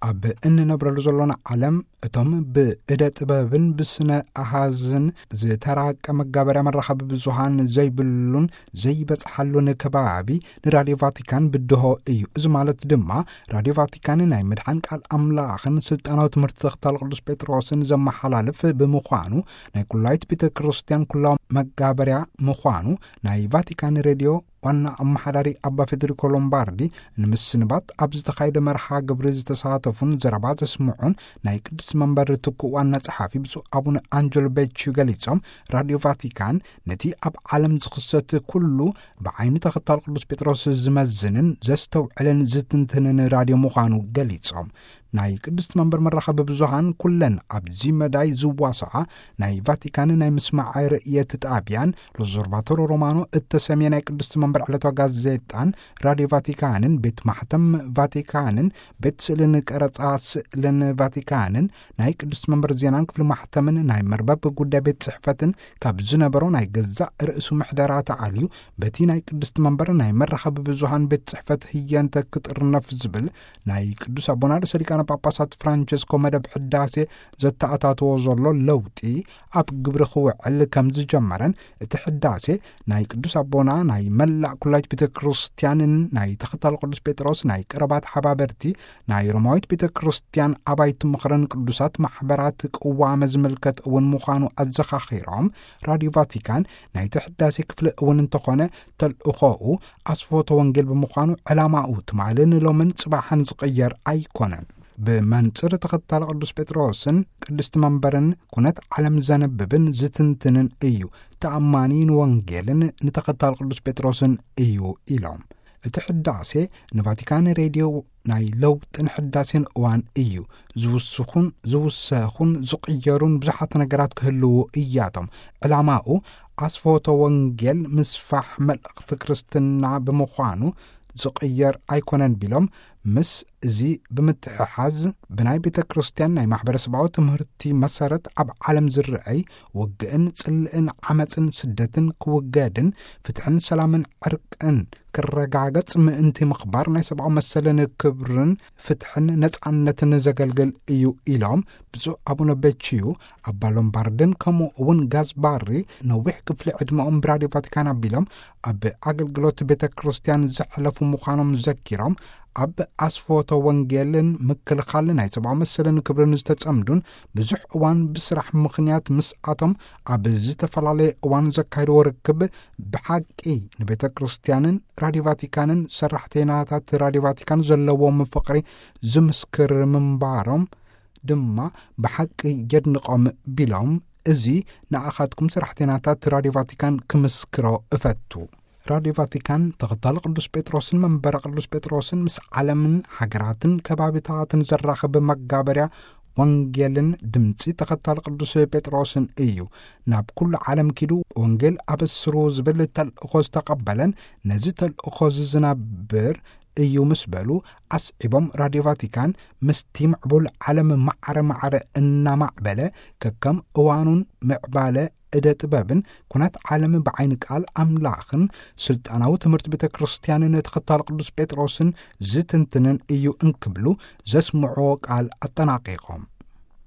ኣብ እንነብረሉ ዘሎና ዓለም፣ እቶም ብእደ ጥበብን ብስነ ኣሃዝን ዝተራቀ መጋበርያ መራኸቢ ብዙሃን ዘይብሉን ዘይበጽሓሉን ከባቢ ንራድዮ ቫቲካን ብድሆ እዩ። እዚ ማለት ድማ ራድዮ ቫቲካን ናይ ምድሓን ቃል ኣምላኽን ስልጣናዊ ትምህርቲ ተኽታል ቅዱስ ጴጥሮስን ዘመሓላልፍ ብምዃኑ፣ ናይ ኩላይት ቤተ ክርስቲያን ኩላዊ መጋበርያ ምዃኑ ናይ ቫቲካን ሬድዮ ዋና ኣመሓዳሪ ኣባ ፌደሪኮ ሎምባርዲ፣ ንምስንባት ኣብ ዝተኻየደ መርሃ ግብሪ ዝተሳተፉን ዘረባ ዘስምዑን ናይ ቅድስቲ መንበር ትኩእ ዋና ጸሓፊ ብፁዕ ኣቡነ ኣንጀሎ ቤቺ ገሊጾም፣ ራድዮ ቫቲካን ነቲ ኣብ ዓለም ዝኽሰት ኩሉ ብዓይኒ ተኸታል ቅዱስ ጴጥሮስ ዝመዝንን ዘስተውዕልን ዝትንትንን ራድዮ ምዃኑ ገሊጾም፣ ናይ ቅድስቲ መንበር መራኸቢ ብዙሃን ኩለን ኣብዚ መዳይ ዝዋስዓ ናይ ቫቲካን ናይ ምስማዕ ርእየት ጣቢያን ሎዞርቫቶሮ ሮማኖ እተሰምየ ናይ ቅድስቲ መንበር ዕለታዊ ጋዜጣን ራድዮ ቫቲካንን ቤት ማሕተም ቫቲካንን ቤት ስእልን ቀረጻ ስእልን ቫቲካንን ናይ ቅድስቲ መንበር ዜናን ክፍሊ ማሕተምን ናይ መርበብ ጉዳይ ቤት ጽሕፈትን ካብ ዝነበሮ ናይ ገዛእ ርእሱ ምሕደራ ተኣልዩ በቲ ናይ ቅድስቲ መንበር ናይ መራኸቢ ብዙሃን ቤት ጽሕፈት ህየንተ ክጥርነፍ ዝብል ናይ ቅዱስ ኣቦና ርእሰ ሊቃነ ጳጳሳት ፍራንቸስኮ መደብ ሕዳሴ ዘተኣታተዎ ዘሎ ለውጢ ኣብ ግብሪ ክውዕል ከም ዝጀመረን፣ እቲ ሕዳሴ ናይ ቅዱስ ኣቦና ናይ መላእ ኩላይት ቤተ ክርስቲያንን ናይ ተኸታል ቅዱስ ጴጥሮስ ናይ ቀረባት ሓባበርቲ ናይ ሮማዊት ቤተ ክርስቲያን ኣባይቲ ምኽርን ቅዱሳት ማሕበራት ቅዋመ ዝምልከት እውን ምዃኑ ኣዘኻኺሮም፣ ራድዮ ቫቲካን ናይቲ ሕዳሴ ክፍሊ እውን እንተኾነ ተልእኾኡ ኣስፎቶ ወንጌል ብምዃኑ ዕላማኡ ትማልን ሎምን ጽባሕን ዝቕየር ኣይኮነን። ብመንጽር ተኸታሊ ቅዱስ ጴጥሮስን ቅድስቲ መንበርን ኩነት ዓለም ዘንብብን ዝትንትንን እዩ። ተኣማኒ ንወንጌልን ንተኸታሊ ቅዱስ ጴጥሮስን እዩ ኢሎም። እቲ ሕዳሴ ንቫቲካን ሬድዮ ናይ ለውጥን ሕዳሴን እዋን እዩ። ዝውስኹን ዝውሰኹን ዝቕየሩን ብዙሓት ነገራት ክህልዉ እያቶም። ዕላማኡ ኣስፎቶ ወንጌል ምስፋሕ መልእኽቲ ክርስትና ብምዃኑ ዝቕየር ኣይኮነን ቢሎም፣ ምስ እዚ ብምትሕሓዝ ብናይ ቤተ ክርስቲያን ናይ ማሕበረሰባዊ ትምህርቲ መሰረት ኣብ ዓለም ዝረኣይ ውግእን ጽልእን ዓመፅን ስደትን ክውገድን ፍትሕን ሰላምን ዕርቅን ክረጋገጽ ምእንቲ ምኽባር ናይ ሰብኣዊ መሰልን ክብርን ፍትሕን ነጻነትን ዘገልግል እዩ ኢሎም ብፁዕ ኣቡነ ቤችዩ፣ ኣባ ሎምባርድን ከምኡ እውን ጋዝባሪ ነዊሕ ክፍሊ ዕድመኦም ብራድዮ ቫቲካን ኣቢሎም ኣብ ኣገልግሎት ቤተ ክርስቲያን ዘሕለፉ ምዃኖም ዘኪሮም፣ ኣብ ኣስፎቶ ወንጌልን ምክልኻል ናይ ሰብኣዊ መሰልን ክብርን ዝተጸምዱን ብዙሕ እዋን ብስራሕ ምኽንያት ምስኣቶም ኣብ ዝተፈላለየ እዋን ዘካየድዎ ርክብ ብሓቂ ንቤተ ክርስቲያንን ራድዮ ቫቲካንን ሰራሕተይናታት ራድዮ ቫቲካን ዘለዎም ፍቕሪ ዝምስክር ምንባሮም ድማ ብሓቂ የድንቖም ቢሎም፣ እዚ ንኣኻትኩም ሰራሕተይናታት ራድዮ ቫቲካን ክምስክሮ እፈቱ። ራድዮ ቫቲካን ተኸታሊ ቅዱስ ጴጥሮስን መንበረ ቅዱስ ጴጥሮስን ምስ ዓለምን ሃገራትን ከባቢታትን ዘራኽብ መጋበርያ ወንጌልን ድምፂ ተኸታሊ ቅዱስ ጴጥሮስን እዩ። ናብ ኩሉ ዓለም ኪዱ ወንጌል ኣበስሩ ዝብል ተልእኾ ዝተቐበለን ነዚ ተልእኾ ዝዝነብር እዩ ምስ በሉ ኣስዒቦም፣ ራድዮ ቫቲካን ምስቲ ምዕቡል ዓለም ማዕረ ማዕረ እናማዕበለ ከከም እዋኑን ምዕባለ እደ ጥበብን ኩነት ዓለም ብዓይኒ ቃል ኣምላኽን ስልጣናዊ ትምህርቲ ቤተ ክርስቲያንን ተኸታሊ ቅዱስ ጴጥሮስን ዝትንትንን እዩ እንክብሉ ዘስምዕዎ ቃል ኣጠናቂቖም።